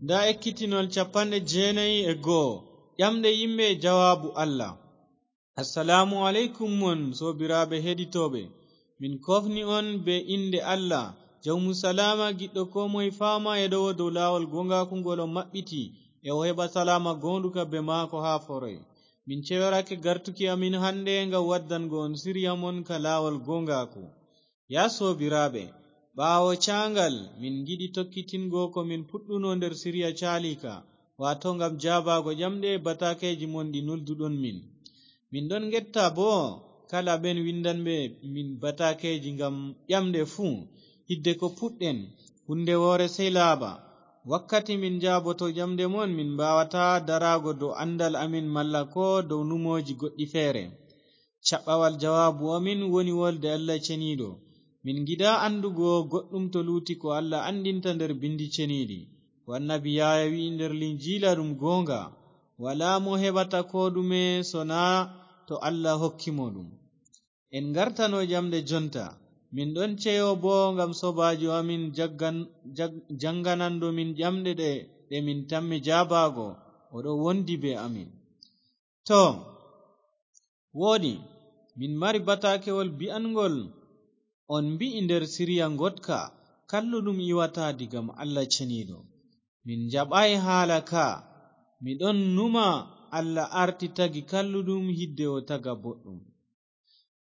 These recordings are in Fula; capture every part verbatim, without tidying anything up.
Ndaa ekkitinol capanɗe jeenayi e go'o, ƴamɗe yimɓe e jawaabu Allah. Assalaamu aleykum mon, soobiraaɓe heɗitooɓe. Min koofni on bee innde Allah, Jawmu salaama, giɗɗo koo moye faama e ɗowo dow laawol gooŋgaaku ngol o maɓɓiti, e o heɓa salaama gooŋɗuka bee maako haa foroy. Min ceyorake gartuki amin hannde ngam waddango on siriya mon ka laawol gooŋgaaku. Yaa soobiraaɓe, ɓaawo caaŋgal, min ngiɗi tokkitingo ko min puɗɗuno nder siriya caaliika, waato ngam jaabaago ƴamɗe e bataakeeji mon ɗi nulduɗon min. Min ɗon ngetta boo kala ɓen winndanɓe min bataakeeji ngam ƴamɗe fuu, hidde ko puɗɗen, hunnde woore sey laaɓa. Wakkati min njaaboto ƴamɗe mon, min mbaawataa daraago dow anndal amin malla koo dow numooji goɗɗi feere. Caɓɓawal jawaabu amin woni wolde Allah Ceniiɗo. Min ngiɗaa anndugo goɗɗum to luuti ko Allah anndinta nder Binndi Ceniiɗi, ko Annabi Yahaya wi'i nder Linjiila ɗum gooŋga, walaa mo heɓata koo ɗume so naa to Allah hokki mo ɗum. En ngartano ƴamɗe jonta. Min ɗon ceyo boo ngam soobaajo amin jaggan-, jag-, jaŋngananɗo min ƴamɗe ɗe, ɗe min tammi jaabaago, o ɗo wondi bee amin. Too, wooɗi, min mari bataakewol bi'anŋgol on mbi'i nder siriya ngoɗka, kalluɗum iwataa diga Allah Ceniiɗo. Min njaɓaay haala ka. Mi ɗon numa Allah arti tagi kalluɗum hidde o taga boɗɗum.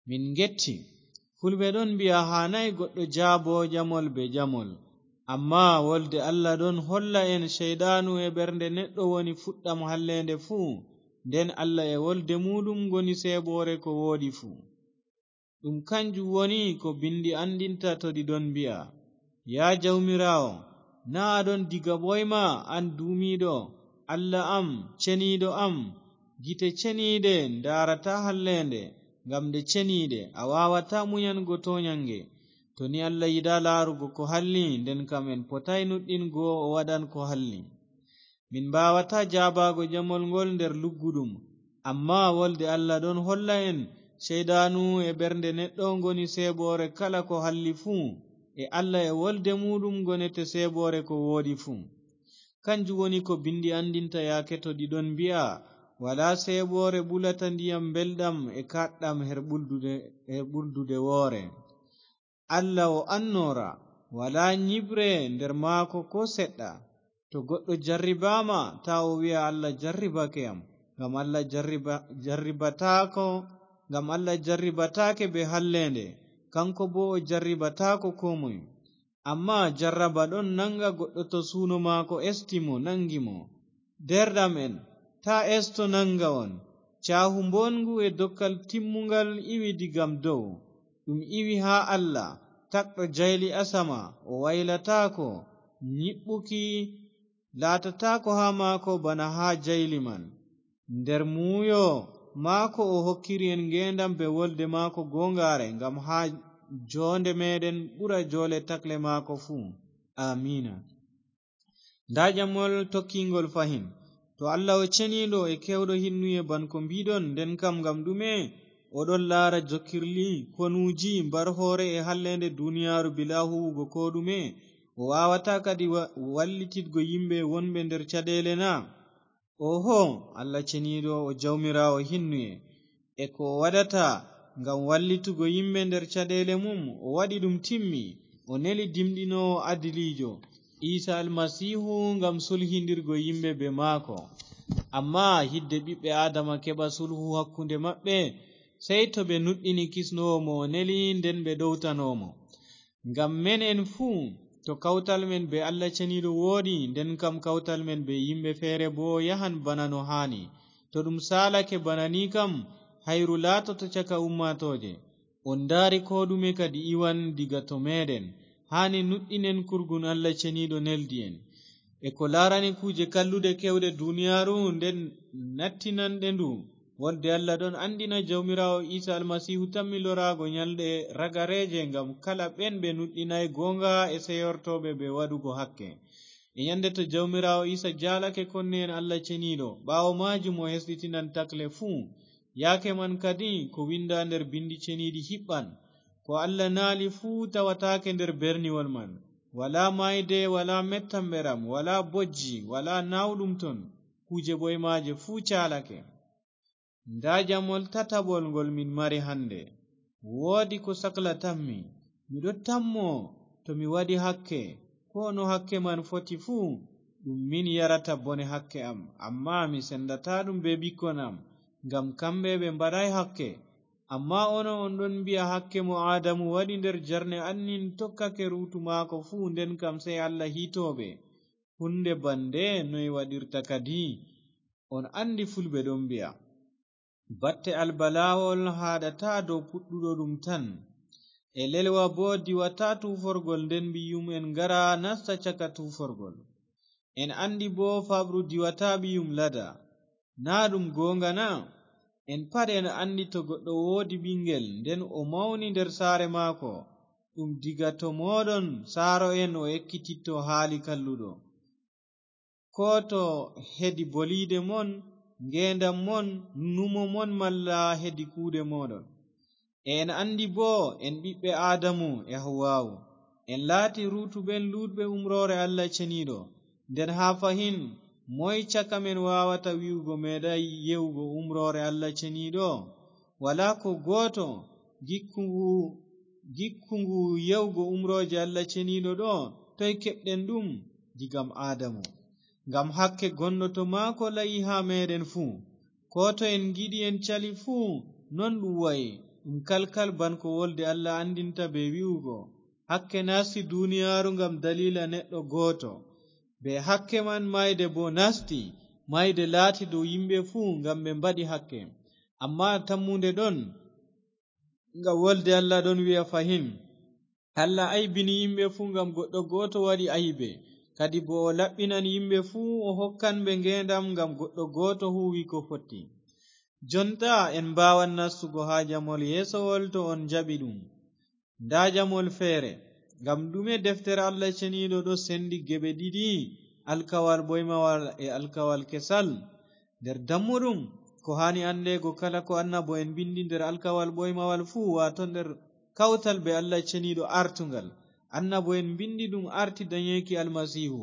Min ngetti. Fulɓe ɗon mbi'a haanaay goɗɗo jaabo ƴamol bee ƴamol. Ammaa wolde Allah ɗon holla en ceyɗaanu e ɓernde neɗɗo woni fuɗɗam halleende fuu, nden Allah e wolde muuɗum ngoni seeɓoore ko wooɗi fuu. Ɗum kanjum woni ko Binndi anndinta to ɗi ɗon mbi'a, yaa Jawmiraawo, naa a ɗon diga ɓooyma, an duumiiɗo, Allah am, Ceniiɗo am, gite ceniiɗe ndaarataa halleende, ngam nde ceniiɗe, a waawataa munyango tooɲannge. To ni Allah yiɗaa laarugo ko halli, nden kam en potaay nuɗɗingo o waɗan ko halli. Min mbaawataa jaabaago ƴamol ngol nder lugguɗum, ammaa wolde Allah ɗon holla en, ceyɗaanu e ɓernde neɗɗo ngoni seeɓoore kala ko halli fuu, e Allah e wolde muuɗum ngonete seeɓoore ko wooɗi fuu. Kanjum woni ko Binndi anndinta yaake to ɗi ɗon mbi'a, walaa seeɓoore ɓulata ndiyam mbelɗam e kaaɗɗam her ɓuldude, her ɓuldude woore. Allah o annoora, walaa nyiɓre nder maako koo seɗɗa. To goɗɗo jarribaama, taa o wi'a, "Allah jarribake yam," ngam Allah jarriba-, jarribataako, ngam Allah jarribataake bee halleende, kaŋko boo o jarribataako koo moy. Ammaa jarraba ɗon naŋga goɗɗo to suuno maako esti mo, naŋgi mo. Deerɗam'en, taa esto naŋga on. Caahu mbooɗŋgu e dokkal timmuŋgal iwi diga dow. Ɗum iwi haa Allah, tagɗo jayli asama, o waylataako, nyiɓɓuki laatataako haa maako bana haa jayli man. Nder muuyo maako o hokkiri en ngeendam bee wolde maako gooŋgaare, ngam haa joonde meeɗen ɓura joole takle maako fuu. Aamiina. Ndaa ƴamol tokkiiŋgol fahin. To Allah o ceniiɗo e keewɗo hinnuye ban ko mbi'ɗon, nden kam ngam ɗume o ɗon laara jokkirli, konuuji, mbar-hoore e halleende duniyaaru bilaa huuwugo koo ɗume? O waawataa kadi wa-, wallititgo yimɓe wonɓe nder caɗeele na? Oho, Allah ceniiɗo o Jawmiraawo hinnuye, e ko o waɗata ngam wallitugo yimɓe nder caɗeele mum, o waɗi ɗum timmi, o neli dimɗinoowo adiliijo, Iisa Almasiihu, ngam sulhindirgo yimɓe bee maako. Ammaa hidde ɓiɓɓe Aadama keɓa sulhu hakkunde maɓɓe, sey to ɓe nuɗɗini kisnoowo mo o neli, nden ɓe ɗowtano mo. Ngam menen fuu, to kawtal men bee Allah ceniiɗo wooɗi, nden kam kawtal men bee yimɓe feere boo yahan bana no haani. To ɗum saalake bana ni kam, hayru laatoto caka ummaatooje. On ndaari koo ɗume kadi iwan diga to meeɗen. Haani nuɗɗinen kurgun Allah ceniiɗo neldi en. E ko laarani kuuje kalluɗe keewɗe duniyaaru, nden nattinanɗe ndu, wolde Allah ɗon anndina Jawmiraawo Iisa Almasiihu tammi loraago nyalɗe ragareeje ngam kala ɓen ɓe nuɗɗinaay gooŋga e seyortooɓe ɓe waɗugo hakke. E nyande to Jawmiraawo Iisa jaalake konne'en Allah ceniiɗo, ɓaawo maajum o hesɗitinan takle fuu. Yaake man kadi ko winda nder bindi ceniiɗi hiɓɓan. Ko Allah naali fuu tawataake nder berniwol man. walaa maayde, walaa mettamɓeram, walaa bojji, walaa naawɗum ton, kuuje ɓoymaaje fuu caalake. Ndaa jamol tataɓol ngol min mari hannde. Woodi ko saklatammi. Miɗo tammo to mi waɗi hakke, koo no hakke man foti fuu, ɗum min yarata bone hakke am. Ammaa mi sendata ɗum bee ɓikkon am, ngam kamɓe ɓe mbaɗaay hakke. Ammaa onon on ɗon mbi'a hakke mo Aadamu waɗi nder jarne annin tokkake ruutu maako fuu, nden kam sey Allah hiitooɓe. Huunde bannde noy waɗirta kadi? On anndi fulɓe ɗon mbi'a, "Batte albalaawol haaɗataa dow puɗɗuɗo ɗum tan." E lelwa boo diwataa tuuforgol, nden ɓiyum en ngara nasta caka tuuforgol. En anndi boo faaɓru diwataa ɓiyum lada. Naa ɗum gooŋga na? En pat en anndi to goɗɗo woodi ɓiŋngel, nden o mawni nder saare maako, ɗum diga to mooɗon saaro'en o ekkititto haali kalluɗo. Koo to hedi boliide mon, ngeendam mon, numo mon, malla hedi kuuɗe mooɗon. E en anndi boo en ɓiɓɓe Aadamu e Hawwaawu. En laati ruutuɓe luutɓe umroore Allah Ceniiɗo. Nden haa fahin, moy caka men waawata wi'ugo meeɗaay ye'ugo umroore Allah Ceniiɗo? Walaa ko gooto. Gikku ngu, gikku ngu ye'ugo umrooje Allah Ceniiɗo ɗo, toy keɓɗen ɗum? Digam Aadamu. Ngam hakke gonɗo to maako la'i haa meeɗen fuu. Koo to en ngiɗi en cali fuu, non ɗum wa'i. Ɗum kalkal ban ko wolde Allah anndinta bee wi'ugo, "Hakke nasti duniyaaru ngam daliila neɗɗo gooto." Bee hakke man, mayde boo nasti, mayde laati dow yimɓe fuu ngam ɓe mbaɗi hakke. Ammaa tammunde ɗon, ngam wolde Allah ɗon wi'a fahin, "Allah aybini yimɓe fuu ngam goɗɗo gooto waɗi aybe, kadi boo o laɓɓinan yimɓe fuu, o hokkan ɓe ngeendam ngam goɗɗo gooto huuwi ko fotti." Jonta en mbaawan nastugo haa jamol yeesowol to on njaɓi ɗum. Ndaa jamol feere. Ngam ɗume deftere Allah Ceniiɗo ɗo sendi geɓe ɗiɗi, alkawal ɓoymawal e alkawal kesal? Nder dammuɗum, ko haani anndeego kala ko annabo'en mbindi nder alkawal ɓoymawal fuu, waato nder kawtal bee Allah Ceniiɗo artugal. Annabo'en mbindi ɗum arti danyeeki Almasiihu.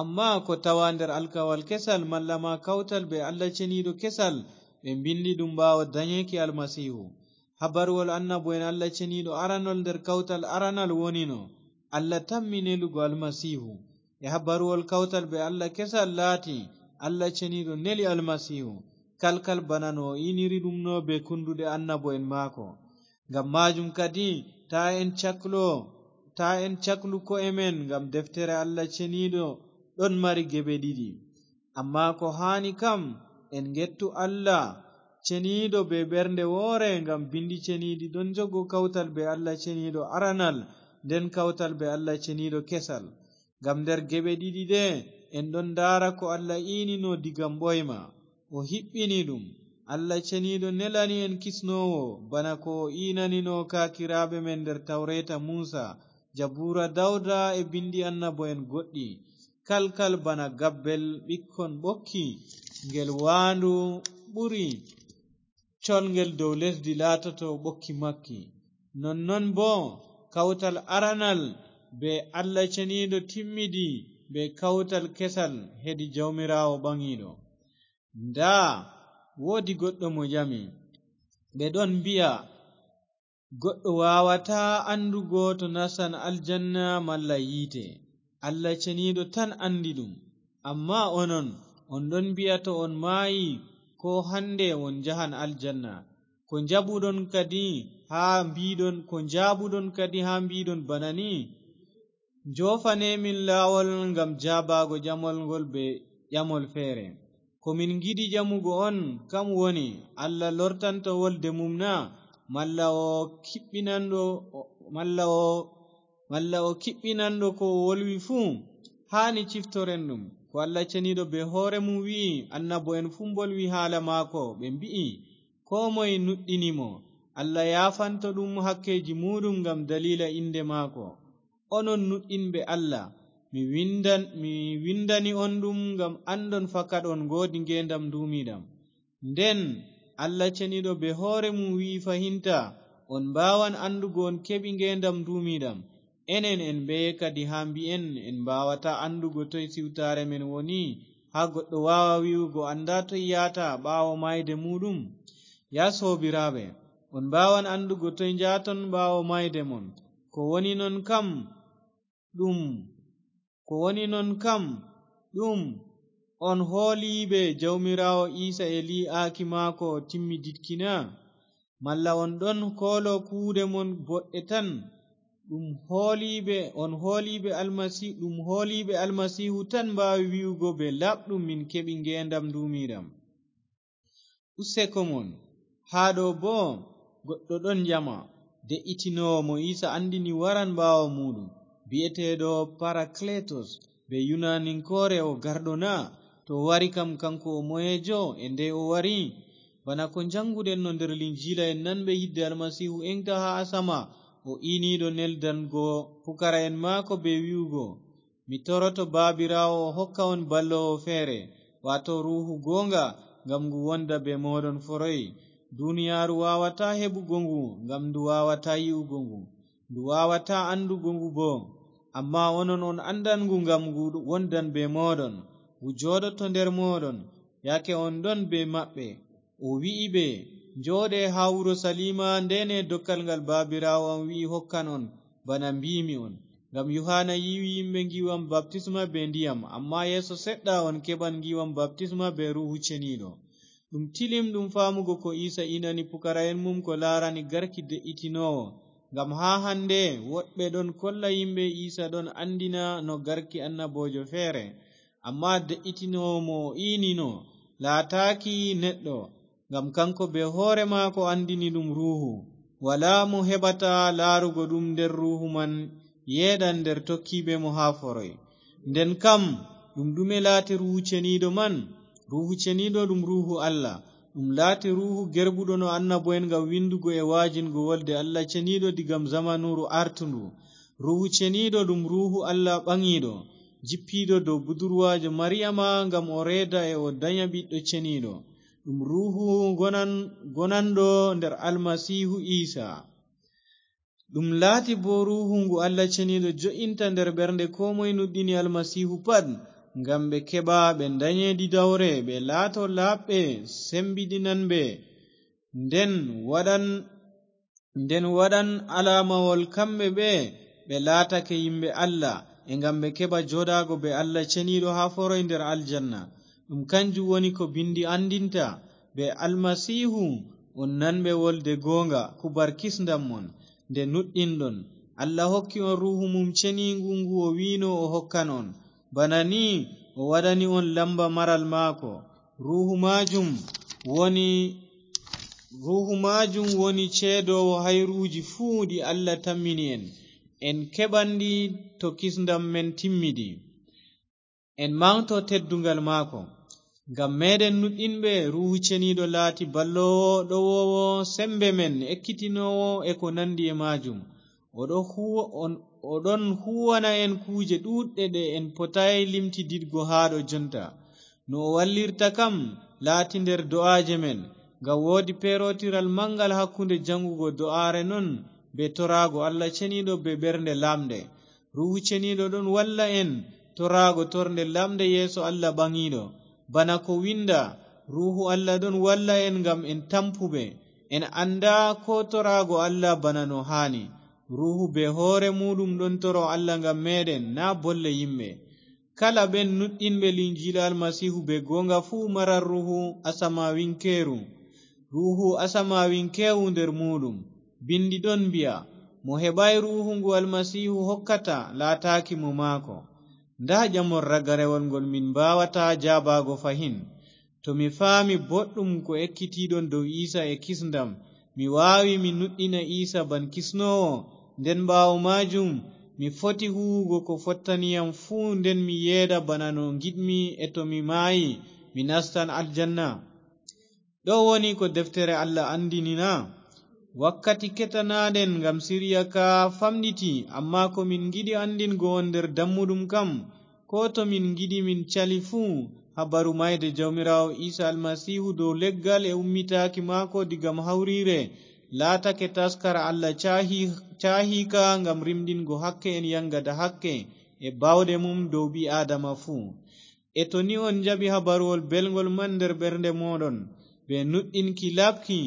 Ammaa ko tawa nder alkawal kesal, malla ma kawtal bee Allah Ceniiɗo kesal, ɓe mbindi ɗum ɓaawo danyeeki Almasiihu. Habaruwol annabo'en Allah Ceniiɗo aranol nder kawtal aranal wonino Allah tammi nelugo Almasiihu. E habaruwol kawtal bee Allah kesal laati, Allah Ceniiɗo neli Almasiihu, kalkal bana no o iniri ɗum no bee kunduɗe annabo'en maako. Ngam maajum kadi, taa en caklo, taa en caklu ko'e men, ngam deftere Allah Ceniiɗo ɗon mari geɓe ɗiɗi. Ammaa ko haani kam, en ngettu Allah Ceniiɗo bee ɓernde woore, ngam bindi ceniiɗi ɗon jogo kawtal bee Allah Ceniiɗo aranal, nden kawtal bee Allah Ceniiɗo kesal. Ngam nder geɓe ɗiɗi ɗe, en ɗon ndaara ko Allah iinino diga ɓoyma, o hiɓɓini ɗum. Allah Ceniiɗo nelani en kisnoowo, bana ko o iinanino kaakiraaɓe men nder Tawreeta Muusa, Jabuura Dawda e bindi annabo'en goɗɗi, kalkal bana gabbel ɓikkon ɓokki, ngel waandu ɓuri colngel dow lesdi laatoto ɓokki makki. Nonnon boo, kawtal aranal bee Allah Ceniiɗo timmidi bee kawtal kesal hedi Jawmiraawo Ɓaŋiiɗo. Ndaa, woodi goɗɗo mo ƴami, ɓe ɗon mbi'a, "Goɗɗo waawataa anndugo to nastan aljanna malla yiite. Allah Ceniiɗo tan anndi ɗum. Ammaa onon, on ɗon mbi'a to on maayi, ko hannde on njahan aljanna. Ko njaɓuɗon kadi haa mbiɗon, ko njaabuɗon kadi haa mbiɗon bana ni?" Njofane min laawol ngam jaabaago ƴamol ngol bee ƴamol feere. Ko min ngiɗi ƴamugo on kam woni, Allah lortanto wolde mum na? Malla o kiɓɓinanɗo, malla o, malla o kiɓɓinanɗo ko o wolwi fuu? Haani ciftoren ɗum. Ko Allah Ceniiɗo bee hoore mum wi'i, annabo'en fuu mbolwi haala maako, ɓe mbi'i, "Koo moye nuɗɗini mo, Allah yaafanto ɗum hakkeeji muuɗum ngam daliila innde maako." Onon nuɗɗinɓe Allah, mi windan-, mi windani on ɗum ngam anndon fakat on ngoodi ngeendam nduumiiɗam. Nden Allah Ceniiɗo bee hoore mum wi'i fahinta, on mbaawan anndugo on keɓi ngeendam nduumiiɗam, Enen en mbeye kadi haa mbi'en en mbaawataa anndugo toy siwtaare men woni, haa goɗɗo waawa wi'ugo anndaa toy yahata ɓaawo maayde muuɗum? Yaa soobiraaɓe, on mbaawan anndugo toy njahton ɓaawo maayde mon. Ko woni non kam ɗum, ko woni non kam ɗum, on hooliiɓe Jawmiraawo Iisa e lii'aaki maako timmiditki na? Malla on ɗon koolo kuuɗe mon boɗɗe tan? Ɗum hooliiɓe, on hooliiɓe Almasi-, ɗum hooliiɓe Almasiihu tan mbaawi wi'ugo bee laaɓɗum min keɓi ngeendam nduumiiɗam. Useko mon, haa ɗo boo goɗɗo ɗon ƴama, de'itinoowo mo Iisa anndini waran ɓaawo muuɗum, bi'eteeɗo Parakletos, bee Yunaninkoore o garɗo na? To o wari kam, kanko o moyeejo, e ndey o wari? Bana ko njannguɗen no nder Linjiila en nanɓe yidde Almasiihu eŋgta haa asama, o iiniiɗo neldango pukara'en maako bee wi'ugo, mi toroto Baabiraawo o hokka on balloowo feere, waato Ruuhu gooŋga, ngam ngu wonda bee mooɗon foroy. Duniyaaru waawataa heɓugo ngu, ngam ndu waawataa yi'ugo ngu, ndu waawataa anndugo ngu boo. Ammaa onon on anndan ngu, ngam ngu wondan bee mooɗon, ngu jooɗoto nder mooɗon, yaake on ɗon bee maɓɓe. O wi'i ɓe, njooɗe haa Urusaliima, ndeene dokkal ngal Baabiraawo am wi'i hokkan on, bana mbi'mi on. Ngam Yuhaana yiiwi yimɓe ngiiwam baptisma bee ndiyam, ammaa yeeso seɗɗa on keɓan ngiiwam baptisma bee Ruuhu Ceniiɗo. Ɗum tilimɗum faamugo ko Iisa inani pukara'en mum ko laarani garki de'itinoowo. Ngam haa hannde woɗɓe ɗon kolla yimɓe Iisa ɗon anndina no garki annaboojo feere. Ammaa de'itinoowo mo o iinino laataaki neɗɗo, ngam kaŋko bee hoore maako anndini ɗum Ruuhu. Walaa mo heɓata laarugo ɗum nder Ruuhu man yeeɗan nder tokkiiɓe mo haa foroy. Nden kam, ɗum ɗume laati Ruuhu Ceniiɗo man? Ruuhu Ceniiɗo ɗum Ruuhu Allah. Ɗum laati Ruuhu gerɓuɗo no annabo'en ngam winndugo e wa'ajingo wolde Allah Ceniiɗo digam zamanuuru artundu. Ruuhu Ceniiɗo ɗum Ruuhu Allah ɓaŋiiɗo, jippiiɗo dow budurwaajo Mariyama ngam o reeda e o danya Ɓiɗɗo Ceniiɗo. Ɗum Ruuhu gonan-, gonanɗo nder Almasiihu Iisa. Ɗum laati boo Ruuhu ngu Allah Ceniiɗo jo'inta nder ɓernde koo moy nuɗɗini Almasiihu pat, ngam ɓe keɓa ɓe ndanye didawre, ɓe laato laaɓɓe, sembiɗinanɓe. Nden waɗan, nden waɗan alaamawol kamɓe ɓe ɓe laatake yimɓe Allah, e ngam ɓe keɓa jooɗaago bee Allah Ceniiɗo haa foroy nder aljanna. Ɗum kanjum woni ko Binndi anndinta, bee Almasiihu on nanɓe wolde gooŋga, kubar kisndam mon, nde nuɗɗinɗon. Allah hokki on Ruuhu mum Ceniiŋgu ngu o wi'no o hokkan on. Bana ni o waɗani on lamba maral maako. Ruuhu maajum woni, Ruuhu maajum woni ceedoowo hayruuji fuu ɗi Allah tammini en. En keɓan ɗi to kisndam men timmidi. En maŋgto tedduŋgal maako. Ngam meeɗen nuɗɗinɓe, Ruuhu Ceniiɗo laati balloowo, ɗowoowo semmbe men, ekkitinoowo e ko nanndi e maajum. O ɗo huwa-, on, o ɗon huuwana en kuuje ɗuuɗɗe ɗe en potaay limtididgo haa ɗo jonta. No o wallirta kam laati nder do'aaje men, ngam woodi peerootiral maŋngal hakkunde jaŋgugo do'aare non bee toraago Allah Ceniiɗo bee ɓernde laamnde. Ruuhu Ceniiɗo ɗon walla en toraago tornde lamnde yeeso Allah ɓaŋiiɗo. Bana ko winnda, Ruuhu Allah ɗon walla en ngam en tampuɓe. En anndaa koo toraago Allah bana no haani. Ruuhu bee hoore muuɗum ɗon toro Allah ngam meeɗen, naa bolle yimɓe. Kala ɓen nuɗɗinɓe Linjiila Almasiihu bee gooŋga fuu maran Ruuhu asamaawiŋkeeru. Ruuhu asamaawiŋkeewu nder muuɗum. Binndi ɗon mbi'a, mo heɓaay Ruuhu ngu Almasiihu hokkata, laataaki mo maako. Ndaa ƴamol ragarewol ngol min mbaawataa jaabaago fahin. To mi faami boɗɗum ko ekkitiiɗon dow Iisa e kisndam, mi waawi mi nuɗɗina Iisa ban kisnoowo, nden ɓaawo maajum mi foti huuwugo ko fottani yam fuu, nden mi yeeɗa bana no ngiɗmi, e to mi maayi, mi nastan aljanna. Ɗo woni ko deftere Allah anndini na? Wakkati ketanaaɗen ngam sirya ka famɗiti, ammaa ko min ngiɗi anndingo on nder dammuɗum kam, koo to min ngiɗi min cali fuu, habaru maayde Jawmiraawo Iisa Almasiihu dow leggal e ummitaaki maako diga hawriire, laatake taskara Allah caahi-, caahiika ngam rimɗingo hakke en yangada hakke e baawɗe mum dow ɓii Aadama fuu. E to ni on njaɓi habaruwol belngol man nder ɓernde mooɗon, bee nuɗɗinki laaɓki,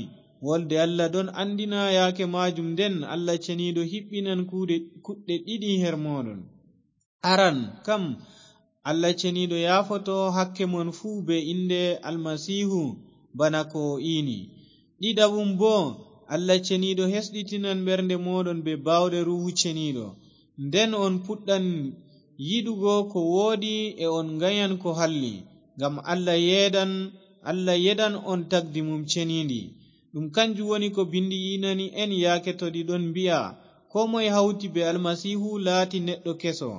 wolde Allah ɗon anndina yaake maajum, nden Allah Ceniiɗo hiɓɓinan kuuɗe, kuɗɗe ɗiɗi her mooɗon. Aran kam, Allah Ceniiɗo yaafoto hakke mon fuu bee innde Almasiihu, bana ko o iini. Ɗiɗaɓum boo, Allah Ceniiɗo hesɗitinan ɓernde mooɗon bee baawɗe Ruuhu Ceniiɗo. Nden on puɗɗan yiɗugo ko wooɗi e on nganyan ko halli, ngam Allah yeeɗan, Allah yeeɗan on tagdi mum ceniindi. Ɗum kanjum woni ko Binndi iinani en yaake to ɗi ɗon mbi'a, "Koo moy hawti bee Almasiihu laati neɗɗo keso.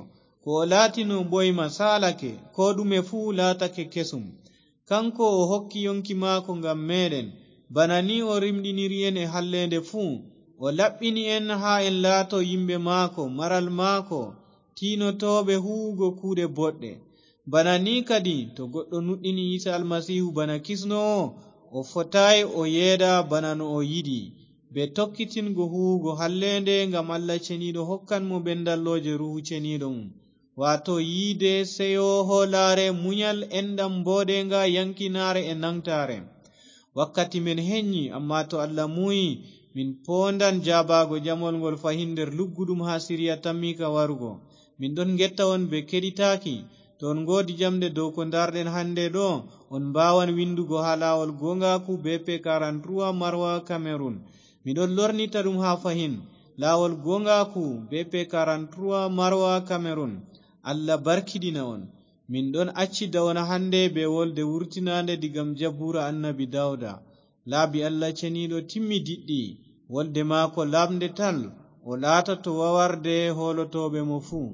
Ko o laatino ɓooyma saalake, koo ɗume fuu laatake kesum." Kaŋko o hokki yoŋki maako ngam meeɗen. Bana ni o rimɗiniri en e halleende fuu. O laɓɓini en haa en laato yimɓe maako, maral maako, tiinotooɓe huuwugo kuuɗe boɗɗe. Bana ni kadi, to goɗɗo nuɗɗini Iisa Almasiihu bana kisnoowo, o fotaay o yeeɗa bana no o yiɗi, bee tokkitingo huuwugo halleende, ngam Allah Ceniiɗo hokkan mo ɓendallooje Ruuhu Ceniiɗo mum, waato yiide, seyo, hoolaare, munyal, enɗam, mbooɗeeŋga, yaŋkinaare e naŋgtaare. Wakkati men heɲƴi, ammaa to Allah muuyi, min poondan jaabaago jamol ngol fahin nder lugguɗum haa Siriya tammiika warugo. Min ɗon ngetta on bee keɗitaaki. To on ngoodi jamɗe dow ko ndaarɗen hande ɗo, on mbaawan windugo haa laawol gooŋgaaku B P quarante-trois Marwa, Cameroun. Mi ɗon lornita ɗum haa fahin. Laawol gooŋgaaku B P quarante-trois Marwa, Cameroun. Allah barkiɗina on. Min ɗon accida on hande bee wolde wurtinaande digam Jabuura Annabi Dawda. Laabi Allah Ceniiɗo timmi diɗɗi. Wolde maako laaɓnde tal, o laatoto wawarde hoolotooɓe mo fuu.